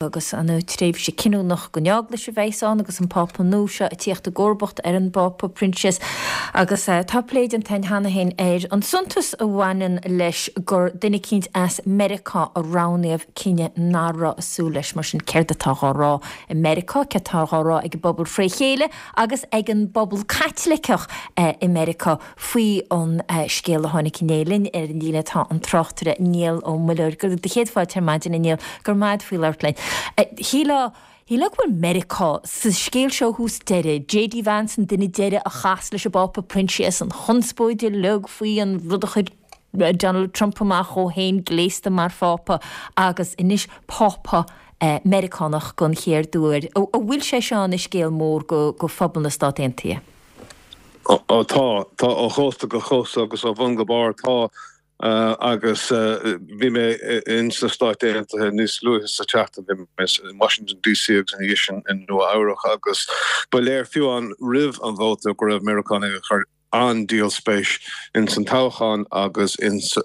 Agus an tréimhse cinniúnach don Eaglais a bheas ann agus an Pápa nua seo ag tíocht i gcomharbacht ar an bPápa Proinsias. Agus tá plé déanta againn cheana féin ar an suntas a bhaineann leis gur duine eicínt as Meiriceá a roghnaíodh, cinneadh nach raibh ag súil leis. Mar sin céard atá dhá rá i Meiriceá, céard atá dhá rá ag an bpobal fré chéile agus ag an bpobal Caitliceach i Meiriceá? Faoi an scéal a tháinig inné linn ar an líne tá an tráchtaire Niall Ó Muilleoir. Do chéad fáilte ar maidin, a Niall. Go raibh maith agat faoi labhairt linn. Shílfeá, shílfeá go bhfuil Meiriceá sa scéal seo ó thús deireadh. JD Vance an duine deiridh a chas leis an bPápa Proinsias, an chonspóid uilig faoi an rud a chuir Donald Trump amach dhó féin gléasta mar Phápa agus anois Pápa Meiriceánach don chéad uair. An bhfuil sé seo ina scéal mór go phobal na Stát Aontaithe? Ó tá. Tá ó chósta go cósta agus ó bhun go barr. Tá. Agus bhí mé ins na Stáit Aontaithe níos luaithe sa tseachtain, bhí mé in Washington DC agus ina dhiaidh sin i Nua Eabhrac agus ba léir fiú amháin roimh an vóta go raibh Meiriceánaigh ag cur an-díol spéis ins an toghchán agus ins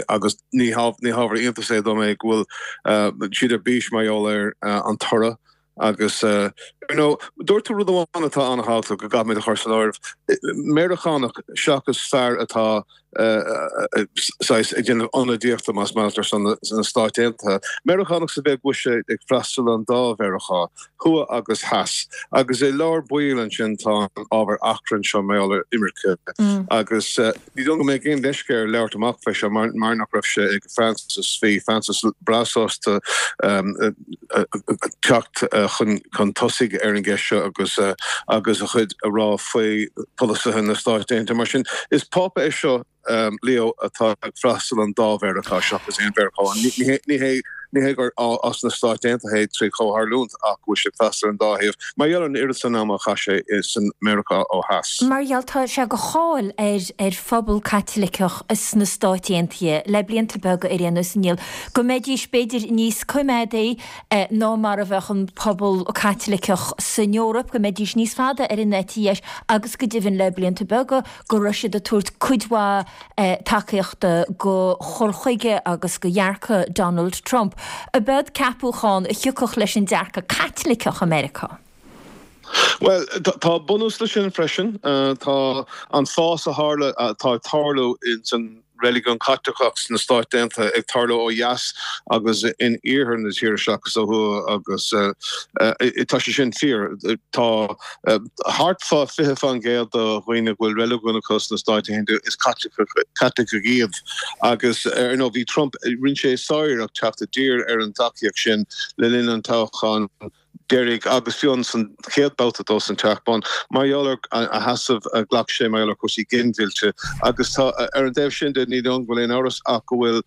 agus ní hábhar iontais é dom é go bhfuil siad ar bís mar gheall ar an toradh. Agus, ar ndóigh, dúirt tú rud amháin atá an-thábhachtach go gcaithfimid a chur san áireamh, Meiriceánach seachas fear atá saghas ag déanamh ionadaíochta, más maith leat, ar son na Stáit Aontaithe. Meiriceánach sa mhéid go bhfuil sé ag freastal an dá Mheiriceá, thuaidh agus theas. Agus i lár baill ansin tá an ábhar achrainn seo mar gheall ar imirce agus. Ní dóigh go mbeidh aon leisce air labhairt amach fé seo mar nach raibh sé ag Francis. Bhí Francis breá sásta teacht chun tosaigh ar an gceist seo agus agus a chuid a rá faoi pholasaithe na Stáit Aontaithe. Mar sin, is Pápa é seo, Leo, atá ag freastal an dá Mheiriceá seachas aon Mheiriceá. Ní hé Ní hé gur as na Stáit Aontaithe é trí chomhtharlúint ach go bhfuil sé ag freastal ar an dá thaobh mar gheall ar an oiread san ama a chaith sé i san Meiriceá ó theas. Mar gheall, tá sé de cháil ar ar phobal Caitliceach sna Stáit Aontaithe le blianta beaga ar aon nós, a Niall, go mbeidís b'fhéidir níos coimeádaí ná mar a bheadh an pobal Caitliceach san Eoraip, go mbeidís níos fada ar an eite dheis agus go deimhin le blianta beaga go raibh siad ag tabhairt cuid mhaith tacaíochta do chur chuige agus do dhearcadh Donald Trump. Ab eod ceapúchán a thiocfadh leis an dearcadh Caitliceach i Meiriceá? Bhuel, tá bunús leis sin freisin. Tá an fás a tharla, atá ag tarlú ins an reiligiún Caitliceach sna Stáit Aontaithe ag tarlú ó dheas agus in iarthar na tíre seachas ó thuaidh agus tá sé sin fíor. Tá Thart fá 20% de dhaoine a bhfuil reiligiún acu sna Stáit Aontaithe, is Caitlicigh iad. Agus, ar ndóigh, bhí Trump, rinne sé sáriarracht teacht i dtír ar an dtacaíocht sin le linn an toghcháin deiridh agus fiú san chéad babhta dó san Teach Bán, mar gheall ar a sheasamh a ghlac sé mar gheall ar chúrsaí ginmhillte. Agus tá, ar an dtaobh sin de, ní dóigh liom go bhfuil aon amhras ach go bhfuil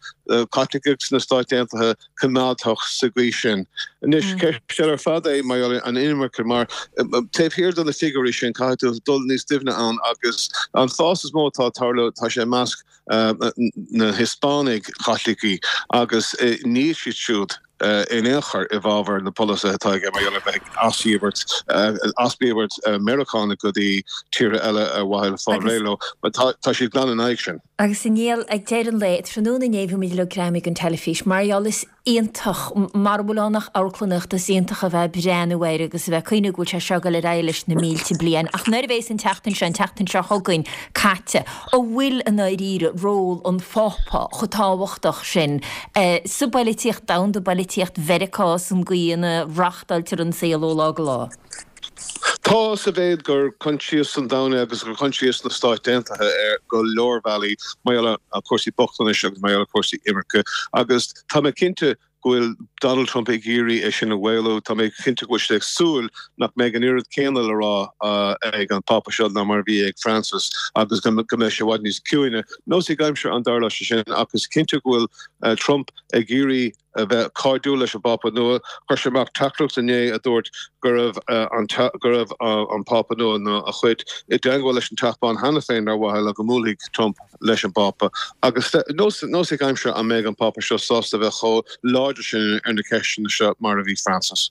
Caitlicigh sna Stáit Aontaithe coimeádach sa gcaoi sin. Anois, ceist eile ar fad é mar gheall ar an inimirce, mar taobh thiar de na figiúirí sin, caithfidh tú dul níos doimhne ann agus an fás is mó atá ag tarlú, tá sé i measc na Hispánaigh Chaitlicigh agus níl siad siúd in aon chor i bhfabhar na polasaithe atá aige mar gheall ar bheith ag asdíbirt, asdíbirt Meiriceánaigh go dtí tíortha eile ar mhaithe le fáil réidh leo. Tá siad glan in aghaidh sin. Agus a Niall, ag deireadh an lae, tráthnóna inné bhí muid uilig greamaithe don teilifís. Mar gheall, is iontach, mara bhfuil ann ach amharclannaíocht, is iontach a bheith ag breathnú air agus a bheith ag cuimhniú go bhfuil sé seo ag dul ar aghaidh leis na mílte bliain. Ach nuair a bhéas an tseachtain seo, an tseachtain seo chugainn, caite, an bhfuil i ndáiríre ról an Phápa chomh tábhachtach sin sa bpoilitíocht domhanda, bpoilitíocht Mheiriceá, san gcaoi ina reachtáiltear an saol ó lá go lá? Tá, sa mhéid gur coinsias an domhain é agus gur coinsias na Stáit Aontaithe ar go leor bealaí mar gheall ar chúrsaí bochtanais agus mar gheall ar chúrsaí imirce. Agus tá mé cinnte go bhfuil Donald Trump ag iarraidh é sin a mhaolú. Tá mé cinnte go bhfuil sé ag súil nach mbeidh an oiread céanna le rá ag an Phápa seo ná mar a bhí ag Francis agus go mbeidh sé i bhfad níos ciúine. Nós ag aimsir an dtarlóidh sé sin ach is cinnte go bhfuil Trump ag iarraidh a bheith cairdiúil leis an bPápa nua. Chuir sé amach teachtaireacht inné a dúirt go raibh an go raibh an Pápa nua nó a chuid i dteagmháil leis an Teach Bán cheana féin ar mhaithe le go mbuailfidh Trump leis an bPápa. Agus nós nós ag aimsir an mbeidh an Pápa seo sásta a bheith chomh láidir sin ar na ceisteanna seo mar a bhí Francis.